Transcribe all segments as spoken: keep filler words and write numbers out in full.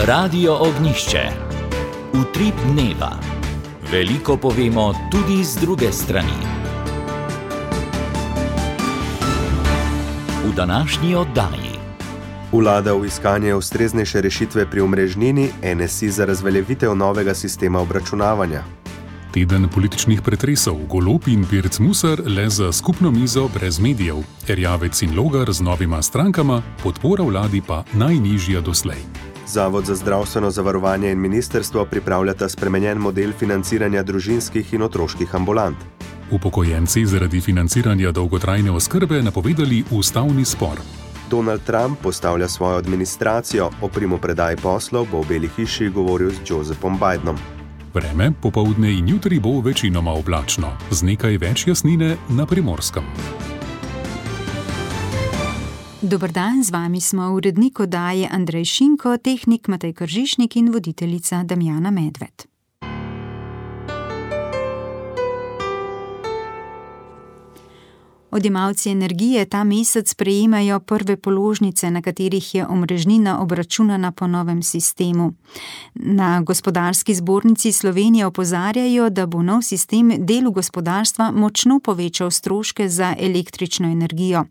Radio Ognjišče. Utrip dneva. Veliko povemo tudi z druge strani. V današnji oddaji. Vlada v iskanje ustreznejše rešitve pri omrežnini, N S I za razveljavitev novega sistema obračunavanja. Teden političnih pretresov, Golob in Pirc Musar le za skupno mizo brez medijev, Erjavec in Logar z novima strankama, podpora vladi pa najnižja doslej. Zavod za zdravstveno zavarovanje in ministrstvo pripravljata spremenjen model financiranja družinskih in otroških ambulant. Upokojenci zaradi financiranja dolgotrajne oskrbe napovedali ustavni spor. Donald Trump postavlja svojo administracijo, o primopredaji poslov bo v Beli hiši govoril z Josephom Bidenom. Vreme, popoldne in jutri bo večinoma oblačno, z nekaj več jasnine na Primorskem. Dober dan, z vami smo urednik oddaje Andrej Šinko, tehnik Matej Kržišnik in voditeljica Damjana Medved. Odjemalci energije ta mesec prejemajo prve položnice, na katerih je omrežnina obračunana po novem sistemu. Na Gospodarski zbornici Slovenije opozarjajo, da bo nov sistem delu gospodarstva močno povečal stroške za električno energijo.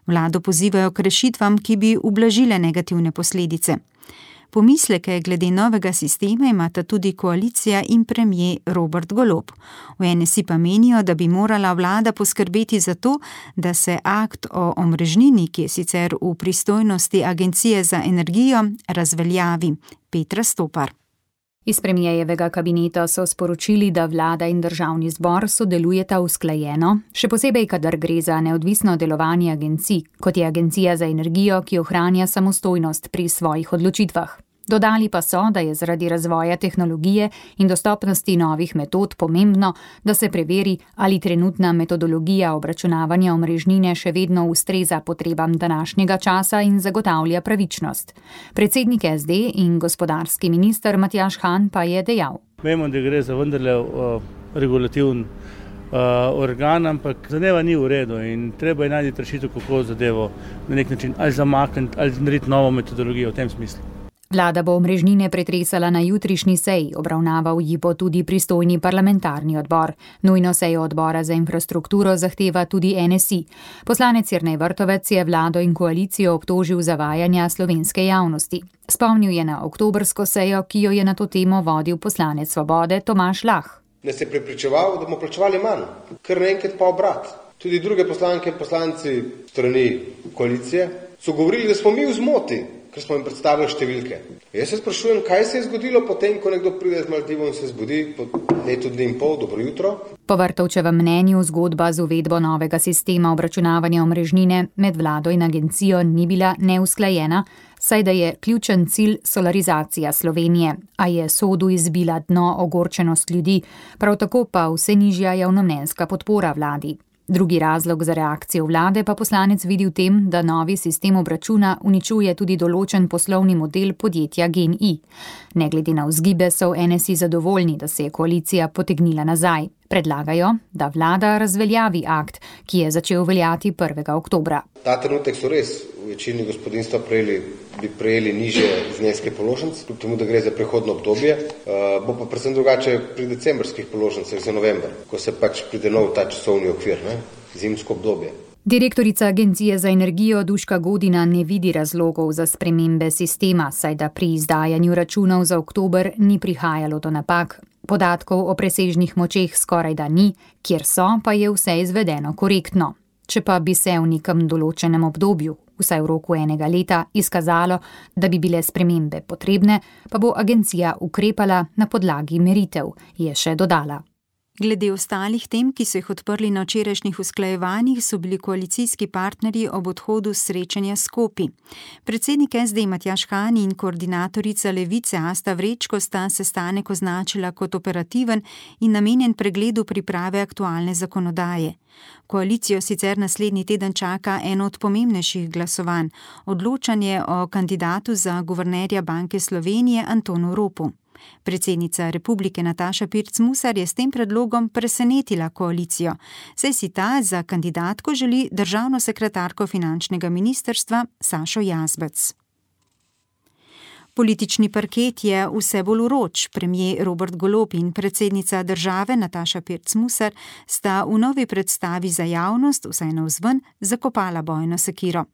Vlado pozivajo k rešitvam, ki bi ublažile negativne posledice. Pomisleke glede novega sistema imata tudi koalicija in premier Robert Golob. V N S I pa menijo, da bi morala vlada poskrbeti za to, da se akt o omrežnini, ki je sicer v pristojnosti Agencije za energijo, razveljavi. Petra Stopar. Iz premierjevega kabineta so sporočili, da vlada in državni zbor sodelujeta usklajeno, še posebej, kadar gre za neodvisno delovanje agencij, kot je Agencija za energijo, ki ohranja samostojnost pri svojih odločitvah. Dodali pa so, da je zaradi razvoja tehnologije in dostopnosti novih metod pomembno, da se preveri, ali trenutna metodologija obračunavanja omrežnine še vedno ustreza potrebam današnjega časa in zagotavlja pravičnost. Predsednik S D in gospodarski minister Matjaž Han pa je dejal. Vemo, da gre za vendarle uh, regulativni uh, organ, ampak zadeva ni v redu in treba je najti rešitev, kako zadevo na nek način ali zamakniti ali narediti novo metodologijo v tem smislu. Vlada bo omrežnine pretresala na jutrišnji seji, obravnaval ji bo tudi pristojni parlamentarni odbor. Nujno sejo odbora za infrastrukturo zahteva tudi N S I. Poslanec Jernej Vrtovec je vlado in koalicijo obtožil zavajanja slovenske javnosti. Spomnil je na oktobrsko sejo, ki jo je na to temo vodil poslanec Svobode Tomaž Lah. Nas je prepričeval, da bomo plačevali manj, kar naenkrat pa obrat. Tudi druge poslanke in poslanci strani koalicije so govorili, da smo mi v zmoti, ker smo jim predstavili številke. Jaz se sprašujem, kaj se je zgodilo potem, ko nekdo pride z Maldivov in se zbudi po letu dni in pol, dobro jutro. Po Vrtovčevem mnenju zgodba z uvedbo novega sistema obračunavanja omrežnine med vlado in agencijo ni bila neusklajena, saj da je ključen cilj solarizacija Slovenije, a je sodu izbila dno ogorčenost ljudi, prav tako pa vse nižja javnomnenjska podpora vladi. Drugi razlog za reakcijo vlade pa poslanec vidi v tem, da novi sistem obračuna uničuje tudi določen poslovni model podjetja Gen I. Ne glede na vzgibe so v N S I zadovoljni, da se je koalicija potegnila nazaj. Predlagajo, da vlada razveljavi akt, ki je začel veljati prvega oktobra. Ta trenutek so res v večini gospodinjstva prejeli, bi prejeli nižje zneske položnic, kljub temu, da gre za prehodno obdobje. Uh, bo pa predvsem drugače pri decembrskih položnicah za november, ko se pač pride nov ta časovni okvir, ne? Zimsko obdobje. Direktorica Agencije za energijo Duška Godina ne vidi razlogov za spremembe sistema, saj da pri izdajanju računov za oktober ni prihajalo do napak. Podatkov o presežnih močeh skoraj da ni, kjer so, pa je vse izvedeno korektno. Če pa bi se v nekem določenem obdobju, vsaj v roku enega leta, izkazalo, da bi bile spremembe potrebne, pa bo agencija ukrepala na podlagi meritev, je še dodala. Glede ostalih tem, ki so jih odprli na včerajšnjih usklajevanjih, so bili koalicijski partnerji ob odhodu srečanja s Kopi. Predsednik S D Matjaž Han in koordinatorica Levice Asta Vrečko sta sestanek označila kot operativen in namenjen pregledu priprave aktualne zakonodaje. Koalicijo sicer naslednji teden čaka eno od pomembnejših glasovanj, odločanje o kandidatu za guvernerja Banke Slovenije Antonu Ropu. Predsednica republike Nataša Pirc Musar je s tem predlogom presenetila koalicijo, saj si ta za kandidatko želi državno sekretarko finančnega ministrstva Sašo Jazbec. Politični parket je vse bolj vroč. Premier Robert Golob in predsednica države Nataša Pirc Musar sta v novi predstavi za javnost, vsaj navzven, zakopala bojno sekiro.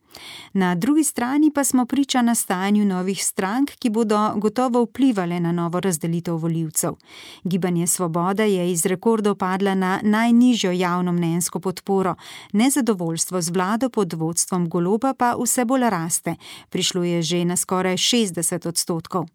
Na drugi strani pa smo priča nastajanju novih strank, ki bodo gotovo vplivale na novo razdelitev volivcev. Gibanje Svoboda je iz rekordov padla na najnižjo javnomnenjsko podporo. Nezadovoljstvo z vlado pod vodstvom Goloba pa vse bolj raste. Prišlo je že na skoraj šestdeset odstotkov.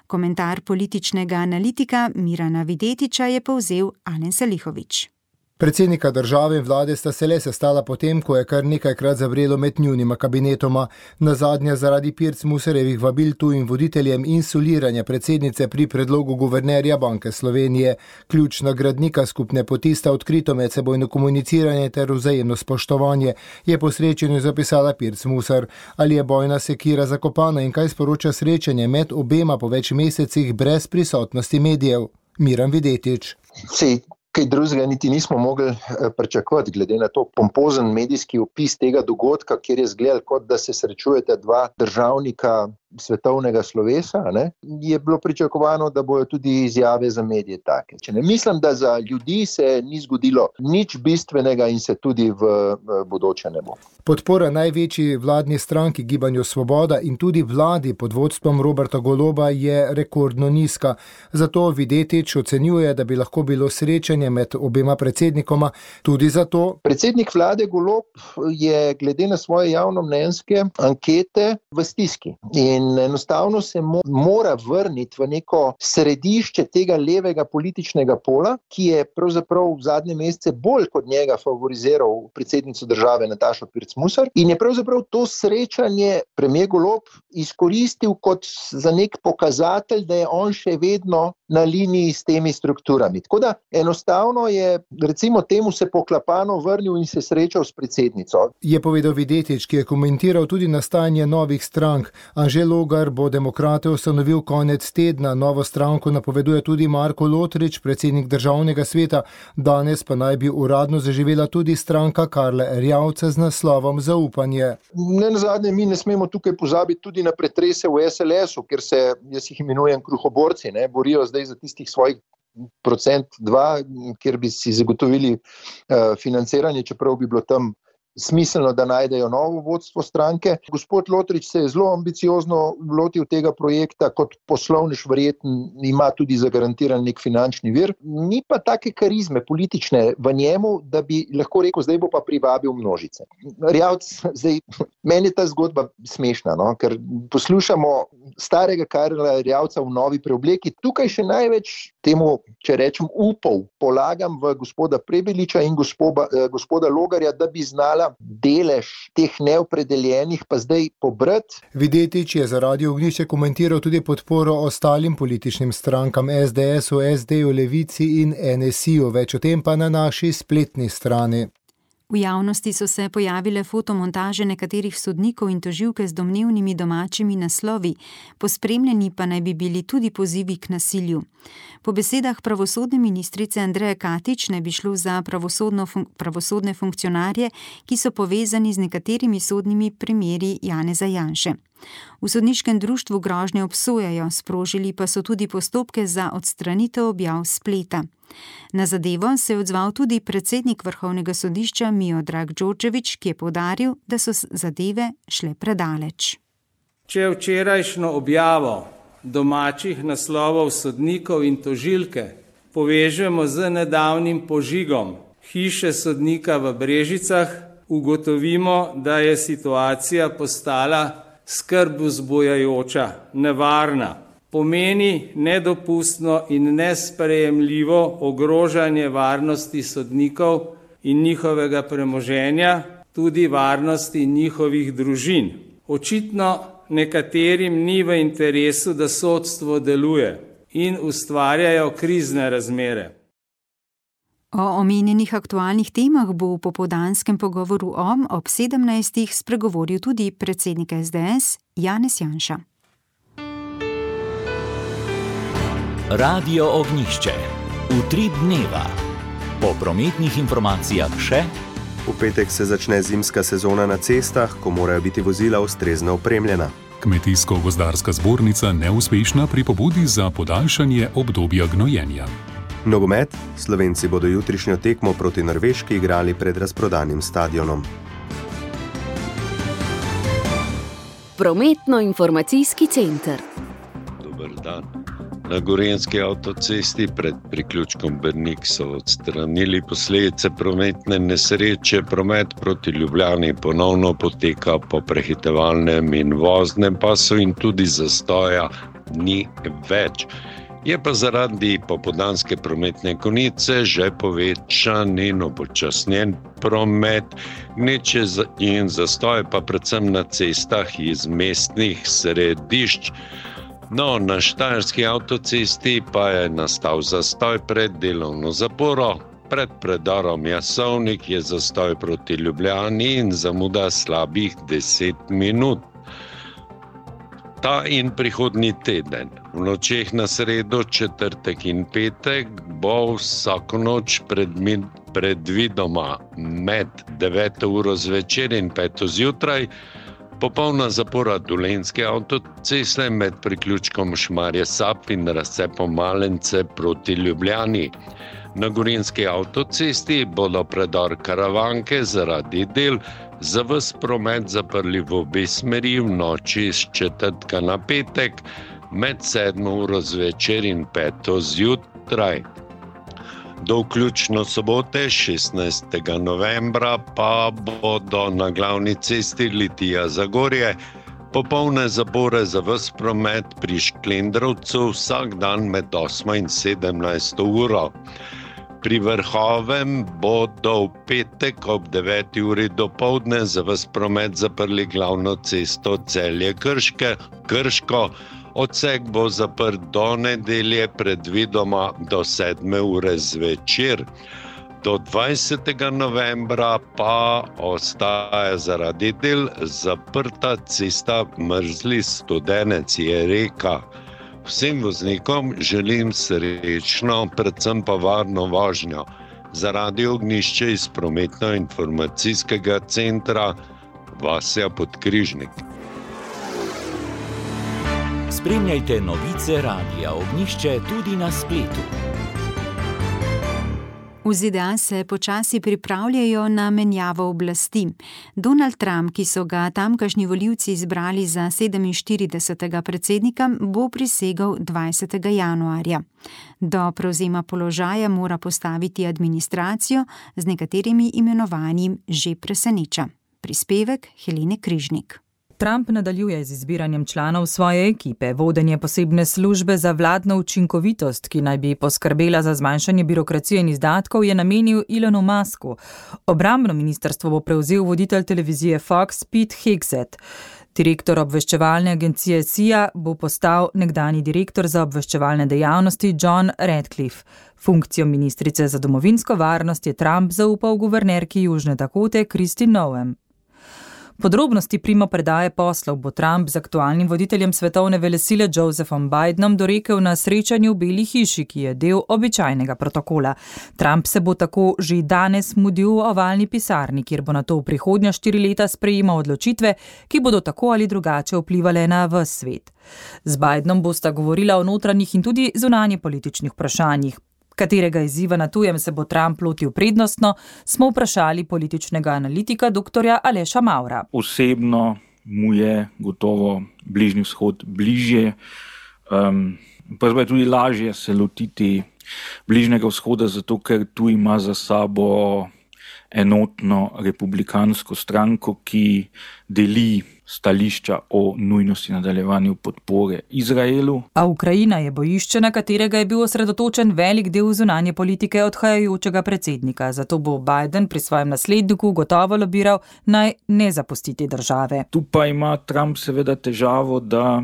Komentar političnega analitika Mirana Videtiča je povzel Alen Salihović. Predsednika države in vlade sta se le sestala potem, ko je kar nekajkrat zavrelo med njunima kabinetoma. Nazadnje zaradi Pirc Musarjevih vabil tujim voditeljem in soliranja predsednice pri predlogu guvernerja Banke Slovenije. Ključna gradnika skupne poti sta odkrito medsebojno komuniciranje ter vzajemno spoštovanje, je po srečanju zapisala Pirc Musar. Ali je bojna sekira zakopana in kaj sporoča srečanje med obema po več mesecih brez prisotnosti medijev? Miran Videtič. Si. Kaj drugega niti nismo mogli pričakovati, glede na to pompozen medijski opis tega dogodka, kjer je izgledalo, kot da se srečujete dva državnika svetovnega slovesa, ne, je bilo pričakovano, da bojo tudi izjave za medije take. Če ne mislim, da za ljudi se ni zgodilo nič bistvenega in se tudi v, v bodoče ne bo. Podpora največji vladni stranki Gibanju Svoboda in tudi vladi pod vodstvom Roberta Goloba je rekordno nizka. Zato Videtič ocenjuje, da bi lahko bilo srečanje med obema predsednikoma tudi zato. Predsednik vlade Golob je glede na svoje javnomnenjske ankete v stiski in enostavno se mo- mora vrniti v neko središče tega levega političnega pola, ki je pravzaprav v zadnje mesece bolj kot njega favoriziral predsednico države Natašo Pirc Musar in je pravzaprav to srečanje premier Golob izkoristil kot za nek pokazatelj, da je on še vedno na liniji s temi strukturami. Tako da enostavno je, recimo temu, se poklapano vrnil in se srečal s predsednico. Je povedal Videtič, ki je komentiral tudi nastajanje novih strank. Anže Logar bo demokrate ustanovil konec tedna. Novo stranko napoveduje tudi Marko Lotrič, predsednik državnega sveta. Danes pa naj bi uradno zaživela tudi stranka Karla Erjavca z naslovom Zaupanje. Ne nazadnje, mi ne smemo tukaj pozabiti tudi na pretrese v es el es-u, ker se, jaz jih imenujem kruhoborci, ne, borijo zdaj za tistih svojih procent dva, kjer bi si zagotovili uh, financiranje, čeprav bi bilo tam smiselno, da najdejo novo vodstvo stranke. Gospod Lotrič se je zelo ambiciozno lotil tega projekta, kot poslovnež verjetno ima tudi zagarantiran nek finančni vir. Ni pa take karizme politične v njemu, da bi lahko rekel, zdaj bo pa privabil množice. Rjavc, zdaj, meni je ta zgodba smešna, no? Ker poslušamo starega Karla Rjavca v novi preobleki. Tukaj še največ temu, če rečem, upov polagam v gospoda Prebeliča in gospoda, eh, gospoda Logarja, da bi znala delež teh neopredeljenih pa zdaj pobrati. Videtič je za Radio Ognjišče komentiral tudi podporo ostalim političnim strankam es de es-u, es de-ju, Levici in en es i-ju. Več o tem pa na naši spletni strani. V javnosti so se pojavile fotomontaže nekaterih sodnikov in tožilke z domnevnimi domačimi naslovi, pospremljeni pa naj bi bili tudi pozivi k nasilju. Po besedah pravosodne ministrice Andreje Katič naj bi šlo za fun- pravosodne funkcionarje, ki so povezani z nekaterimi sodnimi primeri Janeza Janše. V sodniškem društvu grožnje obsojajo, sprožili pa so tudi postopke za odstranitev objav spleta. Na zadevo se je odzval tudi predsednik Vrhovnega sodišča Miodrag Đorđević, ki je poudaril, da so zadeve šle predaleč. Če včerajšnjo objavo domačih naslovov sodnikov in tožilke povežemo z nedavnim požigom hiše sodnika v Brežicah, ugotovimo, da je situacija postala skrb vzbujajoča, nevarna. Pomeni nedopustno in nesprejemljivo ogrožanje varnosti sodnikov in njihovega premoženja, tudi varnosti njihovih družin. Očitno nekaterim ni v interesu, da sodstvo deluje in ustvarjajo krizne razmere. O omenjenih aktualnih temah bo v popoldanskem pogovoru om ob sedemnajstih spregovoril tudi predsednik es de es Janez Janša. Radio Ognjišče. Utrip dneva. Po prometnih informacijah še. V petek se začne zimska sezona na cestah, ko morajo biti vozila ustrezno opremljena. Kmetijsko-gozdarska zbornica neuspešna pri pobudi za podaljšanje obdobja gnojenja. Nogomet. Slovenci bodo jutrišnjo tekmo proti Norveški igrali pred razprodanim stadionom. Prometno-informacijski center. Dober dan. Na Gorenjski avtocesti pred priključkom Brnik so odstranili posledice prometne nesreče. Promet proti Ljubljani ponovno poteka po prehitevalnem in voznem pasu in tudi zastoja ni več. Je pa zaradi popoldanske prometne konice že povečan in upočasnjen promet, gneče in zastoj pa predvsem na cestah iz mestnih središč. No, na štajerski avtocesti pa je nastal zastoj pred delovno zaporo. Pred predorom Jasovnik je zastoj proti Ljubljani in zamuda slabih deset minut. Ta in prihodnji teden, v nočeh na sredo, četrtek in petek, bo vsako noč predmi, predvidoma med deveto uro zvečer in peto zjutraj popolna zapora Dolenjske avtoceste med priključkom Šmarje Sap in razcepom Malence proti Ljubljani. Na Gorenjski avtocesti bodo predor Karavanke zaradi del za ves promet zaprli v obe smeri v noči s četrtka na petek med sedmo uro zvečer in peto zjutraj. Do vključno sobote, šestnajstega novembra, pa bodo na glavni cesti Litija-Zagorje popolne zapore za ves promet pri Šklendrovcu vsak dan med osmo in sedemnajsto uro. Pri Vrhovem bodo v petek ob deveti uri dopoldne za ves promet zaprli glavno cesto Celje-Krške, Krško. Odsek bo zaprt do nedelje, predvidoma do sedme ure zvečer. Do dvajsetega novembra pa ostaja zaradi del zaprta cesta Mrzli-Studenec je reka. Vsem voznikom želim srečno, predvsem pa varno vožnjo. Za Radio Ognjišče iz prometno-informacijskega centra Vasja Podkrižnik. Spremljajte novice Radia Ognjišče tudi na spletu. V Z D A se počasi pripravljajo na menjavo oblasti. Donald Trump, ki so ga tamkajšnji volivci izbrali za sedeminštiridesetega predsednika, bo prisegel dvajsetega januarja. Do prevzema položaja mora postaviti administracijo, z nekaterimi imenovanji že preseneča. Prispevek Helene Križnik. Trump nadaljuje z izbiranjem članov svoje ekipe. Vodenje posebne službe za vladno učinkovitost, ki naj bi poskrbela za zmanjšanje birokracije in izdatkov, je namenil Elonu Musku. Obrambno ministrstvo bo prevzel voditelj televizije Fox Pete Hegseth. Direktor obveščevalne agencije C I A bo postal nekdanji direktor za obveščevalne dejavnosti John Radcliffe. Funkcijo ministrice za domovinsko varnost je Trump zaupal guvernerki Južne Dakote Kristi Noem. Podrobnosti primopredaje poslov bo Trump z aktualnim voditeljem svetovne velesile Josephom Bidenom dorekel na srečanju v Beli hiši, ki je del običajnega protokola. Trump se bo tako že danes mudil v ovalni pisarni, kjer bo nato v prihodnja štiri leta sprejemal odločitve, ki bodo tako ali drugače vplivale na ves svet. Z Bidenom bosta govorila o notranjih in tudi zunanje političnih vprašanjih. Katerega izziva na tujem se bo Trump lotil prednostno, smo vprašali političnega analitika doktorja Aleša Mavra. Osebno mu je gotovo Bližnji vzhod bližje, um, pa je tudi lažje se lotiti Bližnjega vzhoda, zato ker tu ima za sabo enotno republikansko stranko, ki deli stališča o nujnosti nadaljevanju podpore Izraelu. A Ukrajina je bojišče, na katerega je bil osredotočen velik del zunanje politike odhajajočega predsednika, zato bo Biden pri svojem nasledniku gotovo lobiral naj ne zapustiti države. Tu pa ima Trump seveda težavo, da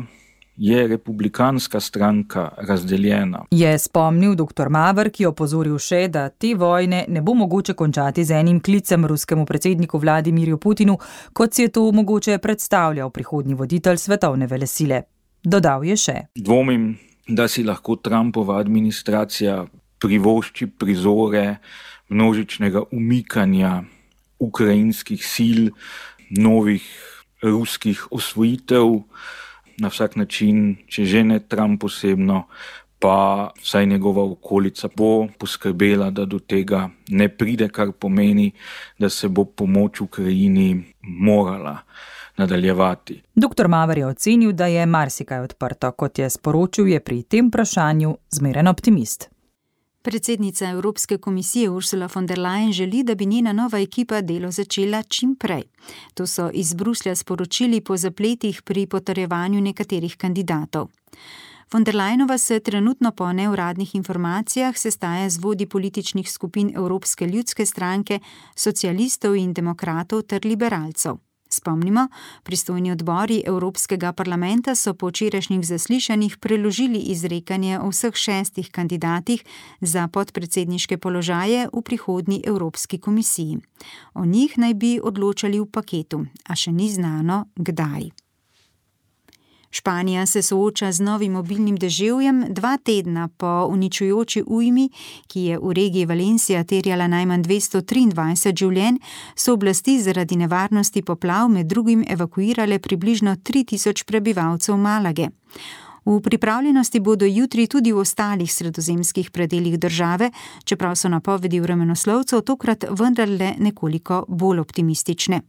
je republikanska stranka razdeljena. Je spomnil doktor Mavr, ki je opozoril še, da te vojne ne bo mogoče končati z enim klicem ruskemu predsedniku Vladimirju Putinu, kot si je to mogoče predstavljal prihodnji voditelj svetovne velesile. Dodal je še: Dvomim, da si lahko Trumpova administracija privošči prizore množičnega umikanja ukrajinskih sil, novih ruskih osvojitev, na vsak način, če že ne Trump osebno, pa vsaj njegova okolica bo poskrbela, da do tega ne pride, kar pomeni, da se bo pomoč Ukrajini morala nadaljevati. Doktor Maver je ocenil, da je marsikaj odprto, kot je sporočil, je pri tem vprašanju zmeren optimist. Predsednica Evropske komisije Ursula von der Leyen želi, da bi njena nova ekipa delo začela čim prej. To so iz Bruslja sporočili po zapletih pri potrjevanju nekaterih kandidatov. Von der Leyenova se trenutno po neuradnih informacijah sestaja z vodji političnih skupin Evropske ljudske stranke, socialistov in demokratov ter liberalcev. Spomnimo, pristojni odbori Evropskega parlamenta so po včerajšnjih zaslišanjih preložili izrekanje o vseh šestih kandidatih za podpredsedniške položaje v prihodnji Evropski komisiji. O njih naj bi odločali v paketu, a še ni znano, kdaj. Španija se sooča z novim obilnim deževjem dva tedna po uničujoči ujmi, ki je v regiji Valencia terjala najmanj dvesto triindvajset življenj, so oblasti zaradi nevarnosti poplav med drugim evakuirale približno tri tisoč prebivalcev Malage. V pripravljenosti bodo jutri tudi v ostalih sredozemskih predelih države, čeprav so napovedi vremenoslovcev tokrat vendarle nekoliko bolj optimistične.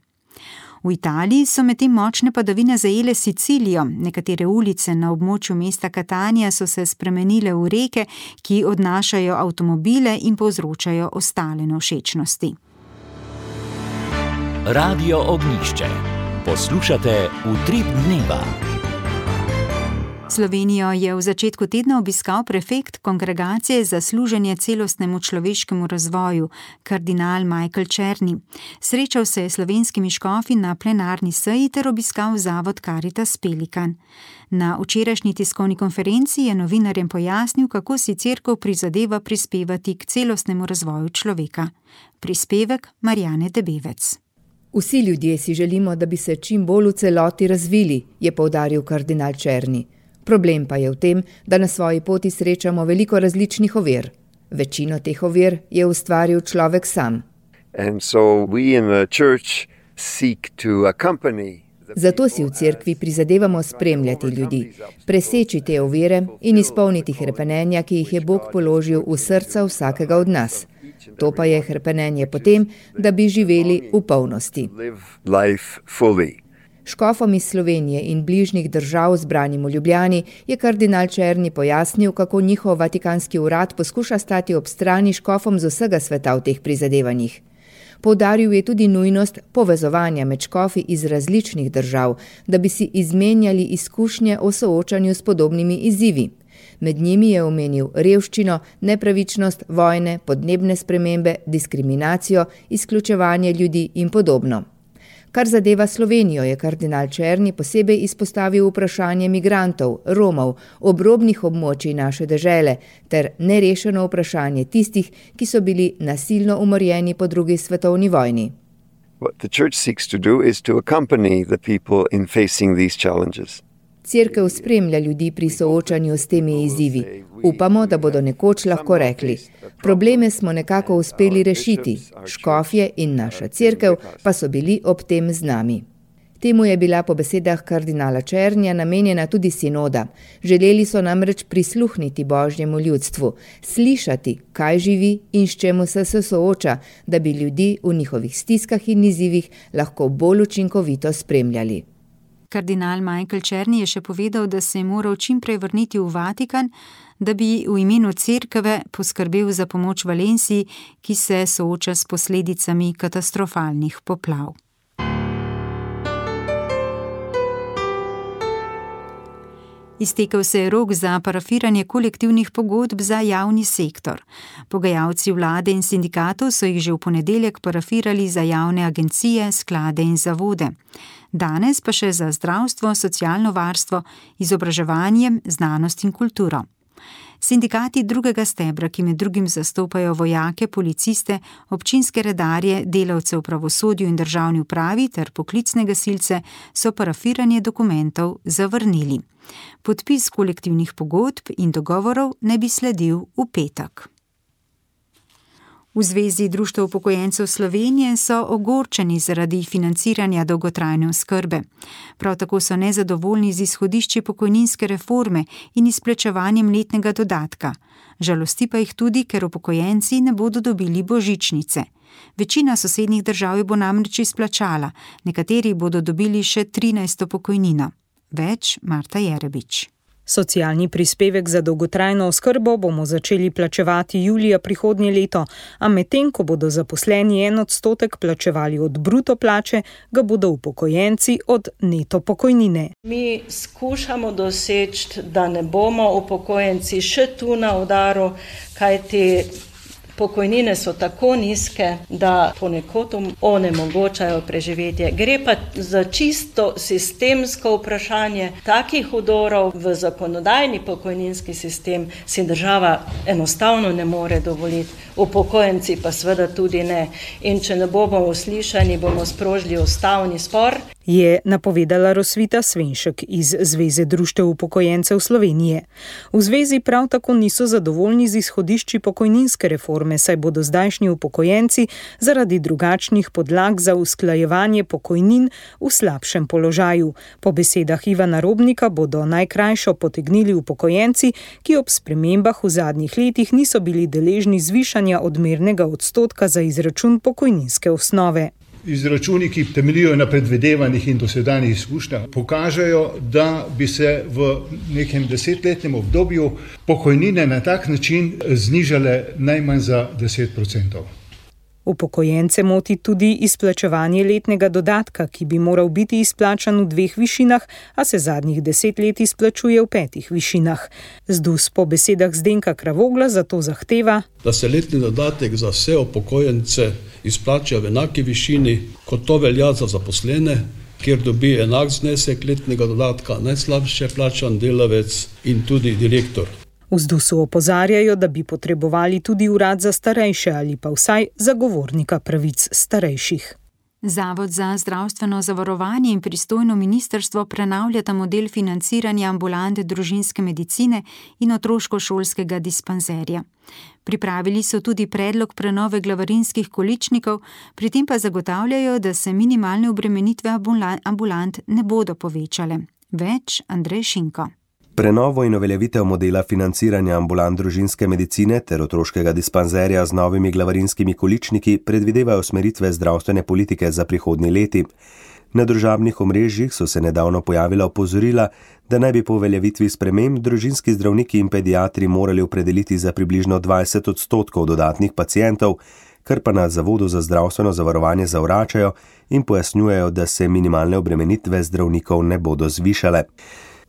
V Italiji so medtem močne padavine zajele Sicilijo. Nekatere ulice na območju mesta Catania so se spremenile v reke, ki odnašajo avtomobile in povzročajo ostale nevšečnosti. Radio Ognjišče. Poslušate Utrip dneva. Slovenijo je v začetku tedna obiskal prefekt Kongregacije za služenje celostnemu človeškemu razvoju, kardinal Michael Černi. Srečal se je s slovenskimi škofi na plenarni seji ter obiskal zavod Caritas Pelikan. Na včerajšnji tiskovni konferenci je novinarjem pojasnil, kako si cerkev prizadeva prispevati k celostnemu razvoju človeka. Prispevek Marjane Debevec. Vsi ljudje si želimo, da bi se čim bolj v celoti razvili, je poudaril kardinal Černi. Problem pa je v tem, da na svoji poti srečamo veliko različnih ovir. Večino teh ovir je ustvaril človek sam. Zato si v cerkvi prizadevamo spremljati ljudi, preseči te ovire in izpolniti hrepenenja, ki jih je Bog položil v srca vsakega od nas. To pa je hrepenenje potem, da bi živeli v polnosti. Škofom iz Slovenije in bližnjih držav zbranim v Ljubljani je kardinal Černi pojasnil, kako njihov vatikanski urad poskuša stati ob strani škofom z vsega sveta v teh prizadevanjih. Poudaril je tudi nujnost povezovanja med škofi iz različnih držav, da bi si izmenjali izkušnje o soočanju s podobnimi izzivi. Med njimi je omenil revščino, nepravičnost, vojne, podnebne spremembe, diskriminacijo, izključevanje ljudi in podobno. Kar zadeva Slovenijo, je kardinal Černi posebej izpostavil vprašanje migrantov, Romov, obrobnih območij naše dežele ter nerešeno vprašanje tistih, ki so bili nasilno umorjeni po drugi svetovni vojni. What the church seeks to do is to accompany the people in facing these challenges. Cerkev spremlja ljudi pri soočanju s temi izzivi. Upamo, da bodo nekoč lahko rekli: probleme smo nekako uspeli rešiti, škofje in naša cerkev pa so bili ob tem z nami. Temu je bila po besedah kardinala Černija namenjena tudi sinoda. Želeli so namreč prisluhniti božjemu ljudstvu, slišati, kaj živi in s čemu se se sooča, da bi ljudi v njihovih stiskah in izzivih lahko bolj učinkovito spremljali. Kardinal Michael Černi je še povedal, da se je moral čim prej vrniti v Vatikan, da bi v imenu cerkve poskrbel za pomoč Valenciji, ki se sooča s posledicami katastrofalnih poplav. Iztekel se je rok za parafiranje kolektivnih pogodb za javni sektor. Pogajalci vlade in sindikatov so jih že v ponedeljek parafirali za javne agencije, sklade in zavode. Danes pa še za zdravstvo, socialno varstvo, izobraževanje, znanost in kulturo. Sindikati drugega stebra, ki med drugim zastopajo vojake, policiste, občinske redarje, delavce v pravosodju in državni upravi ter poklicne gasilce, so parafiranje dokumentov zavrnili. Podpis kolektivnih pogodb in dogovorov ne bi sledil v petek. V Zvezi društev upokojencev Slovenije so ogorčeni zaradi financiranja dolgotrajne oskrbe. Prav tako so nezadovoljni z izhodišči pokojninske reforme in izplačevanjem letnega dodatka. Žalosti pa jih tudi, ker upokojenci ne bodo dobili božičnice. Večina sosednjih držav jo bo namreč izplačala, nekateri bodo dobili še trinajsto pokojnino. Več Marta Jerebič. Socialni prispevek za dolgotrajno oskrbo bomo začeli plačevati julija prihodnje leto, a medtem ko bodo zaposleni en odstotek plačevali od bruto plače, ga bodo upokojenci od neto pokojnine. Mi skušamo doseči, da ne bomo upokojenci še tu na udaru, kajti pokojnine so tako nizke, da ponekod onemogočajo preživetje. Gre pa za čisto sistemsko vprašanje. Takih vdorov v zakonodajni pokojninski sistem si država enostavno ne more dovoliti. Upokojenci pa seveda tudi ne. In če ne bomo uslišani, bomo sprožili ustavni spor. Je napovedala Rosvita Svenšek iz Zveze društev upokojencev Slovenije. V zvezi prav tako niso zadovoljni z izhodišči pokojninske reforme, saj bodo zdajšnji upokojenci zaradi drugačnih podlag za usklajevanje pokojnin v slabšem položaju. Po besedah Ivana Robnika bodo najkrajšo potegnili upokojenci, ki ob spremembah v zadnjih letih niso bili deležni zvišanja odmernega odstotka za izračun pokojninske osnove. Izračuni, ki temeljijo na predvidevanjih in dosedanjih izkušnjah, pokažejo, da bi se v nekem desetletnem obdobju pokojnine na tak način znižale najmanj za deset odstotkov. Upokojence moti tudi izplačevanje letnega dodatka, ki bi moral biti izplačan v dveh višinah, a se zadnjih deset let izplačuje v petih višinah. ZDUS po besedah Zdenka Kravogla zato zahteva, da se letni dodatek za vse upokojence izplača v enaki višini, kot to velja za zaposlene, kjer dobi enak znesek letnega dodatka najslabše plačan delavec in tudi direktor. V ZDUS-u opozarjajo, da bi potrebovali tudi urad za starejše ali pa vsaj zagovornika pravic starejših. Zavod za zdravstveno zavarovanje in pristojno ministrstvo prenavljata model financiranja ambulante družinske medicine in otroško-šolskega dispanzerja. Pripravili so tudi predlog prenove glavarinskih količnikov, pri tem pa zagotavljajo, da se minimalne obremenitve ambulant ne bodo povečale. Več Andrej Šinko. Prenovo in uveljavitev modela financiranja ambulant družinske medicine ter otroškega dispanzerja z novimi glavarinskimi količniki predvidevajo usmeritve zdravstvene politike za prihodnji leti. Na družabnih omrežjih so se nedavno pojavila opozorila, da naj bi po uveljavitvi sprememb družinski zdravniki in pediatri morali opredeliti za približno dvajset odstotkov dodatnih pacientov, kar pa na Zavodu za zdravstveno zavarovanje zavračajo in pojasnjujejo, da se minimalne obremenitve zdravnikov ne bodo zvišale.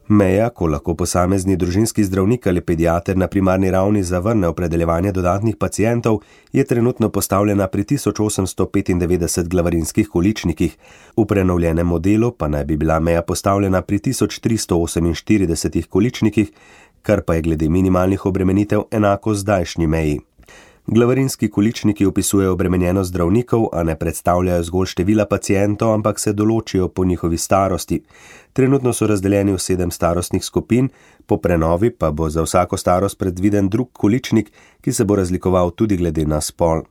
Meja, ko lahko posamezni družinski zdravnik ali pediater na primarni ravni zavrne opredeljevanje dodatnih pacientov, je trenutno postavljena pri tisoč osemsto petindevetdeset glavarinskih količnikih. V prenovljenem modelu pa naj bi bila meja postavljena pri tisoč tristo oseminštiridesetih količnikih, kar pa je glede minimalnih obremenitev enako zdajšnji meji. Glavarinski količniki opisujejo obremenjenost zdravnikov, a ne predstavljajo zgolj števila pacientov, ampak se določijo po njihovi starosti. Trenutno so razdeljeni v sedem starostnih skupin, po prenovi pa bo za vsako starost predviden drug količnik, ki se bo razlikoval tudi glede na spol.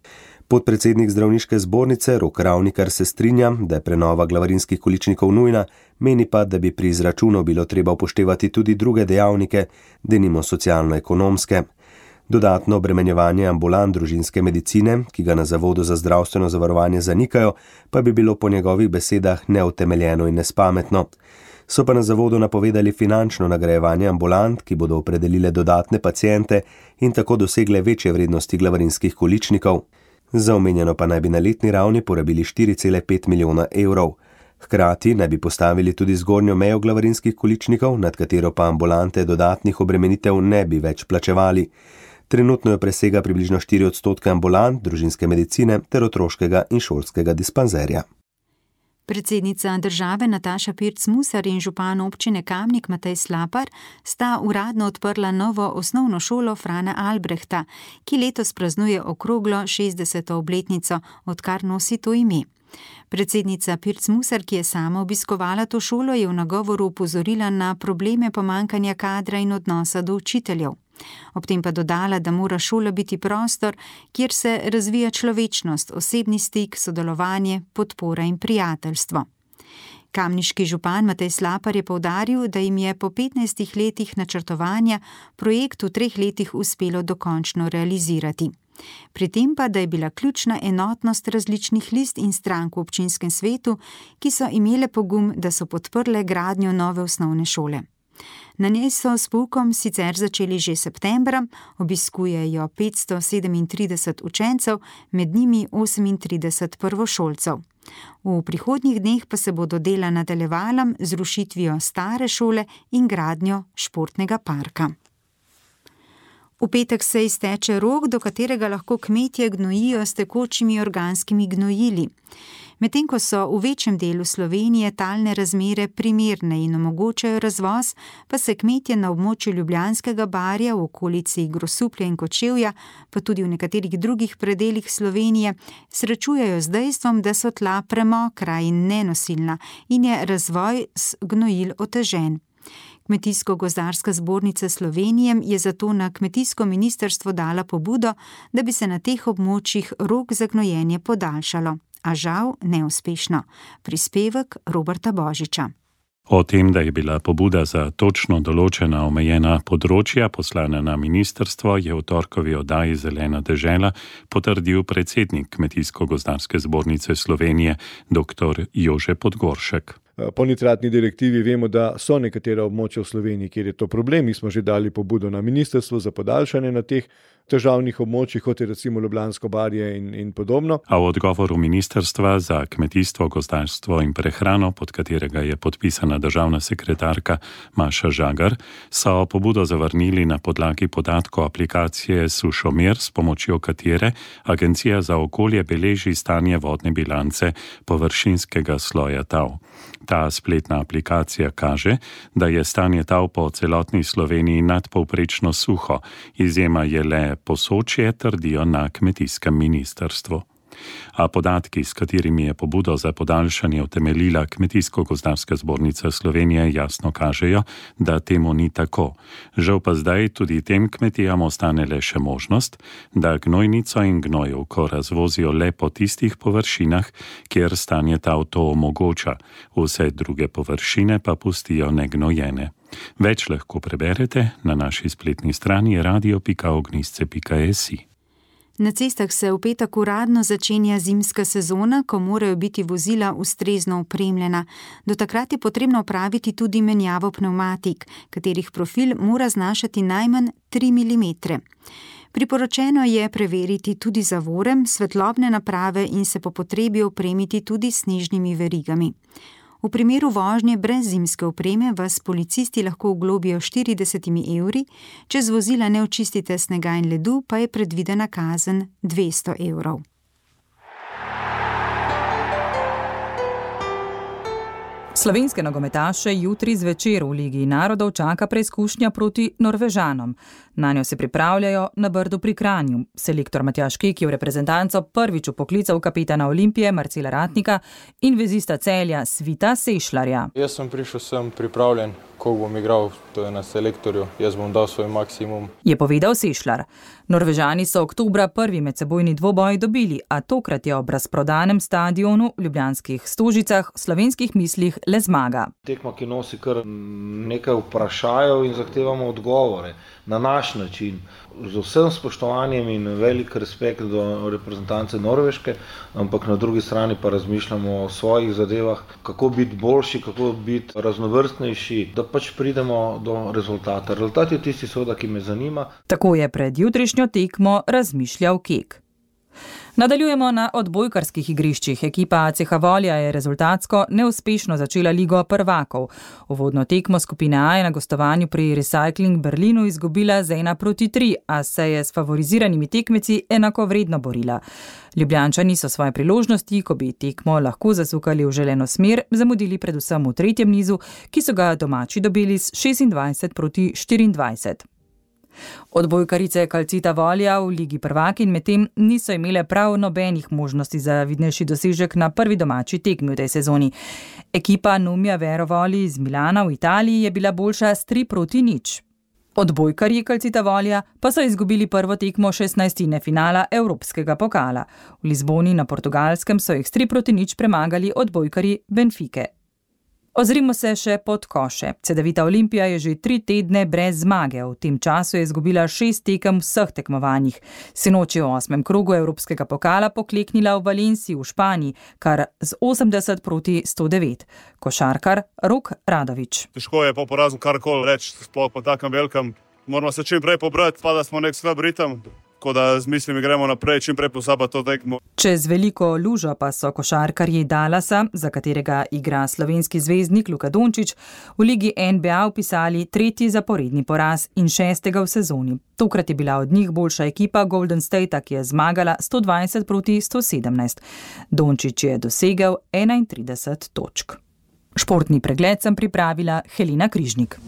Podpredsednik zdravniške zbornice Rok Ravnikar se strinja, da je prenova glavarinskih količnikov nujna, meni pa, da bi pri izračunu bilo treba upoštevati tudi druge dejavnike, denimo socialno-ekonomske. Dodatno obremenjevanje ambulant družinske medicine, ki ga na Zavodu za zdravstveno zavarovanje zanikajo, pa bi bilo po njegovih besedah neutemeljeno in nespametno. So pa na zavodu napovedali finančno nagrajevanje ambulant, ki bodo opredelile dodatne paciente in tako dosegle večje vrednosti glavarinskih količnikov. Za omenjeno pa naj bi na letni ravni porabili štiri cele pet milijona evrov. Hkrati naj bi postavili tudi zgornjo mejo glavarinskih količnikov, nad katero pa ambulante dodatnih obremenitev ne bi več plačevali. Trenutno jo presega približno štiri odstotke ambulant družinske medicine ter otroškega in šolskega dispanzerja. Predsednica države Nataša Pirc Musar in župan občine Kamnik Matej Slapar sta uradno odprla novo osnovno šolo Frana Albrehta, ki letos praznuje okroglo šestdeseto obletnico, odkar nosi to ime. Predsednica Pirc Musar, ki je sama obiskovala to šolo, je v nagovoru upozorila na probleme pomankanja kadra in odnosa do učiteljev. Ob tem pa dodala, da mora šola biti prostor, kjer se razvija človečnost, osebni stik, sodelovanje, podpora in prijateljstvo. Kamniški župan Matej Slapar je poudaril, da jim je po petnajstih letih načrtovanja projekt v treh letih uspelo dokončno realizirati. Pri tem pa, da je bila ključna enotnost različnih list in strank v občinskem svetu, ki so imele pogum, da so podprle gradnjo nove osnovne šole. Na njej so s poukom sicer začeli že septembra, obiskujejo petsto sedemintrideset učencev, med njimi osemintrideset prvošolcev. V prihodnjih dneh pa se bodo dela nadaljevala z rušitvijo stare šole in gradnjo športnega parka. V petek se izteče rok, do katerega lahko kmetje gnojijo s tekočimi organskimi gnojili. Medtem ko so v večjem delu Slovenije talne razmere primerne in omogočajo razvoz, pa se kmetje na območju Ljubljanskega barja, v okolici Grosuplja in Kočevja, pa tudi v nekaterih drugih predelih Slovenije, srečujejo z dejstvom, da so tla premokra in nenosilna in je razvoj z gnojil otežen. Kmetijsko-gozdarska zbornica Slovenije je zato na kmetijsko ministrstvo dala pobudo, da bi se na teh območjih rok za gnojenje podaljšalo, a žal neuspešno. Prispevek Roberta Božiča. O tem, da je bila pobuda za točno določena omejena področja poslana na ministrstvo, je v torkovi oddaji Zelena dežela potrdil predsednik Kmetijsko-gozdarske zbornice Slovenije dr. Jože Podgoršek. Po nitratni direktivi vemo, da so nekatera območja v Sloveniji, kjer je to problem. Mi smo že dali pobudo na ministrstvo za podaljšanje na teh težavnih območjih, kot je recimo Ljubljansko barje in, in podobno. A v odgovoru Ministrstva za kmetijstvo, gozdarstvo in prehrano, pod katerega je podpisana državna sekretarka Maša Žagar, so pobudo zavrnili na podlagi podatkov aplikacije Sušomer, s pomočjo katere Agencija za okolje beleži stanje vodne bilance površinskega sloja tal. Ta spletna aplikacija kaže, da je stanje tal po celotni Sloveniji nadpovprečno suho, izjema je le Posočje, trdijo na kmetijskem ministrstvu. A podatki, s katerimi je pobudo za podaljšanje utemeljila Kmetijsko-gozdarska zbornica Slovenije, jasno kažejo, da temu ni tako. Žal pa zdaj tudi tem kmetijam ostane le še možnost, da gnojnico in gnojevko razvozijo le po tistih površinah, kjer stanje tal to omogoča, vse druge površine pa pustijo negnojene. Več lahko preberete na naši spletni strani radio pika ognjišče pika si. Na cestah se v petek uradno začenja zimska sezona, ko morajo biti vozila ustrezno opremljena. Do takrat je potrebno opraviti tudi menjavo pnevmatik, katerih profil mora znašati najmanj tri milimetre. Priporočeno je preveriti tudi zavore, svetlobne naprave in se po potrebi opremiti tudi s snežnimi verigami. V primeru vožnje brez zimske opreme vas policisti lahko oglobijo štiridesetimi evri, če z vozila ne očistite snega in ledu, pa je predvidena kazen dvesto evrov. Slovenske nogometaše jutri zvečer v Ligi narodov čaka preizkušnja proti Norvežanom. Nanjo se pripravljajo na Brdu pri Kranju. Selektor Matjaž Kek je v reprezentanco prvič vpoklical kapetana Olimpije Marcela Ratnika in vezista Celja Svita Sešljarja. Jaz sem prišel sem pripravljen, ko bom igral, to je na selektorju, jaz bom dal svoj maksimum. Je povedal Sešljar. Norvežani so oktobra prvi medsebojni dvoboj dobili, a tokrat je ob razprodanem stadionu v ljubljanskih Stožicah v slovenskih mislih le zmaga. Tekma, ki nosi kar nekaj vprašajev in zahtevamo odgovore na naš način. Z vsem spoštovanjem in velik respekt do reprezentance Norveške, ampak na drugi strani pa razmišljamo o svojih zadevah, kako biti boljši, kako biti raznovrstnejši, da pač pridemo do rezultata. Rezultat je tisti seveda, ki me zanima. Tako je pred jutrišnjo tekmo razmišljal Kek. Nadaljujemo na odbojkarskih igriščih. Ekipa A C H Volja je rezultatsko neuspešno začela Ligo prvakov. Uvodno tekmo skupine A je na gostovanju pri Recycling Berlinu izgubila z ena proti tri, a se je s favoriziranimi tekmeci enakovredno borila. Ljubljančani so svoje priložnosti, ko bi tekmo lahko zasukali v želeno smer, zamudili predvsem v tretjem nizu, ki so ga domači dobili s šestindvajset proti štiriindvajset. Odbojkarice Calcita Volja v Ligi prvakinj medtem niso imele prav nobenih možnosti za vidnejši dosežek na prvi domači tekmi v tej sezoni. Ekipa Numia Vero Voli iz Milana v Italiji je bila boljša s tri proti nič. Odbojkarji Calcita Volja pa so izgubili prvo tekmo šestnajstine finala Evropskega pokala. V Lizboni na Portugalskem so jih s tri proti nič premagali odbojkarji Benfike. Ozrimo se še pod koše. Cedevita Olimpija je že tri tedne brez zmage. V tem času je izgubila šest tekem v vseh tekmovanjih. Sinoči v osmem krogu Evropskega pokala pokleknila v Valenciji v Španiji, kar z osemdeset proti sto devet. Košarkar Rok Radovič. Težko je po porazu karkoli reči, sploh po takem velikem. Moramo se čim prej pobrati, pa da smo nek slab ritem. Tako da z mislimi gremo naprej, čim prej pozabiti to tekmo. Čez veliko lužo pa so košarkarji Dallasa, za katerega igra slovenski zvezdnik Luka Dončić, v ligi N B A vpisali tretji zaporedni poraz in šestega v sezoni. Tokrat je bila od njih boljša ekipa Golden State, ki je zmagala sto dvajset proti sto sedemnajst. Dončić je dosegel enaintrideset točk. Športni pregled sem pripravila Helena Križnik.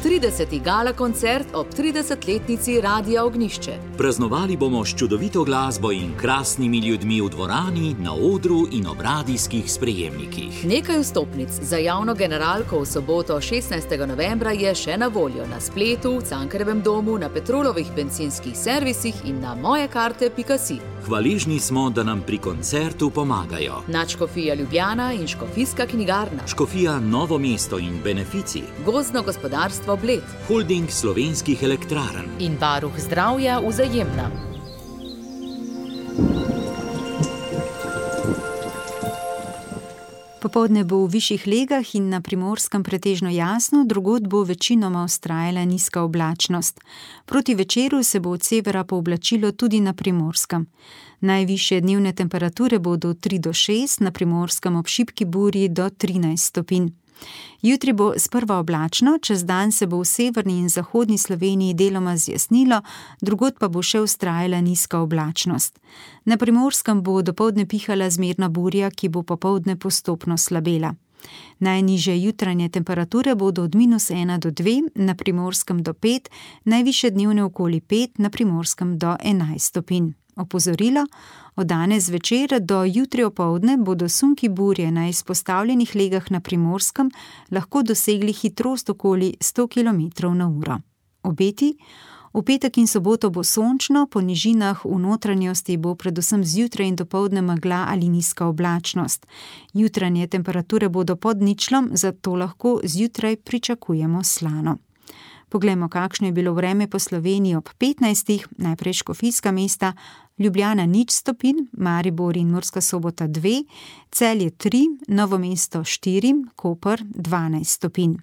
trideseti gala koncert ob tridesetletnici Radia Ognjišče. Praznovali bomo s čudovito glasbo in krasnimi ljudmi v dvorani, na odru in ob radijskih sprejemnikih. Nekaj vstopnic za javno generalko v soboto šestnajstega novembra je še na voljo na spletu, v Cankarjevem domu, na Petrolovih bencinskih servisih in na mojekarte pika si. Hvaležni smo, da nam pri koncertu pomagajo Nadškofija Ljubljana in Škofijska knjigarna, Škofija Novo mesto in Benefici, Gozdno gospodarstvo Bled, Holding slovenskih elektrarn in Varuh zdravja Vzajemna. Popoldne bo v višjih legah in na Primorskem pretežno jasno, drugod bo večinoma vztrajala nizka oblačnost. Proti večeru se bo od severa pooblačilo tudi na Primorskem. Najvišje dnevne temperature bodo tri do šest, na Primorskem ob šibki burji do trinajst stopinj. Jutri bo sprva oblačno, čez dan se bo v severni in zahodni Sloveniji deloma zjasnilo, drugod pa bo še vztrajala nizka oblačnost. Na Primorskem bo dopoldne pihala zmerna burja, ki bo popoldne postopno slabela. Najnižje jutranje temperature bodo od minus ena do dve, na Primorskem do pet, najvišje dnevne okoli pet, na Primorskem do enajst stopinj. Opozorilo, od danes zvečer do jutri opoldne bodo sunki burje na izpostavljenih legah na Primorskem lahko dosegli hitrost okoli sto kilometrov na uro. Obeti: v petek in soboto bo sončno, po nižinah v notranjosti bo predvsem zjutraj in dopoldne megla ali nizka oblačnost. Jutranje temperature bodo pod ničlom, zato lahko zjutraj pričakujemo slano. Poglejmo, kakšno je bilo vreme po Sloveniji ob petnajstih, najprej škofijska mesta, Ljubljana nič stopinj, Maribor in Murska Sobota dve, Celje tri, Novo mesto štiri, Koper dvanajst stopinj.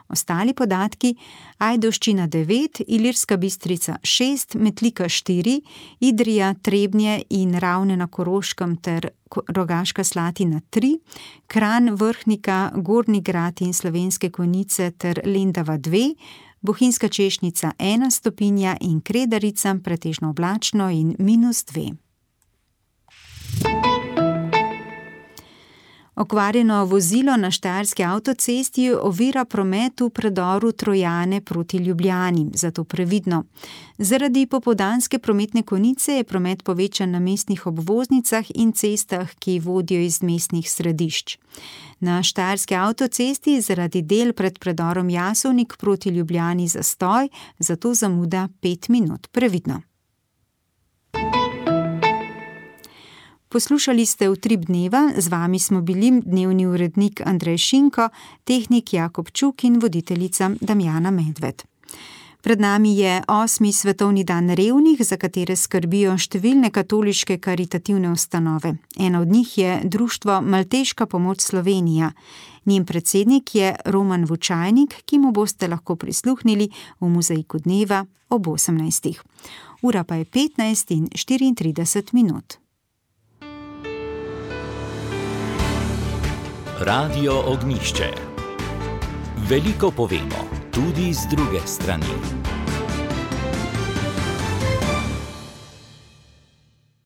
Ostali podatki: Ajdovščina devet, Ilirska Bistrica šest, Metlika štiri, Idrija, Trebnje in Ravne na Koroškem ter Rogaška Slatina tri, Kranj, Vrhnika, Gornji Grad in Slovenske Konjice ter Lendava dve, Bohinjska Češnica ena stopinja in Kredarica pretežno oblačno in minus dve. Okvarjeno vozilo na štajerski avtocesti ovira promet v predoru Trojane proti Ljubljani, zato previdno. Zaradi popoldanske prometne konice je promet povečan na mestnih obvoznicah in cestah, ki vodijo iz mestnih središč. Na štajerski avtocesti zaradi del pred predorom Jasovnik proti Ljubljani zastoj, zato zamuda pet minut. Previdno. Poslušali ste Utrip dneva, z vami smo bili dnevni urednik Andrej Šinko, tehnik Jakob Čuk in voditeljica Damjana Medved. Pred nami je osmi svetovni dan revnih, za katere skrbijo številne katoliške karitativne ustanove. Ena od njih je društvo Malteška pomoč Slovenija. Njen predsednik je Roman Vučajnik, ki mu boste lahko prisluhnili v mozaiku dneva ob osemnajstih. Ura pa je petnajst in štiriintrideset minut. Radio Ognjišče. Veliko povemo, tudi z druge strani.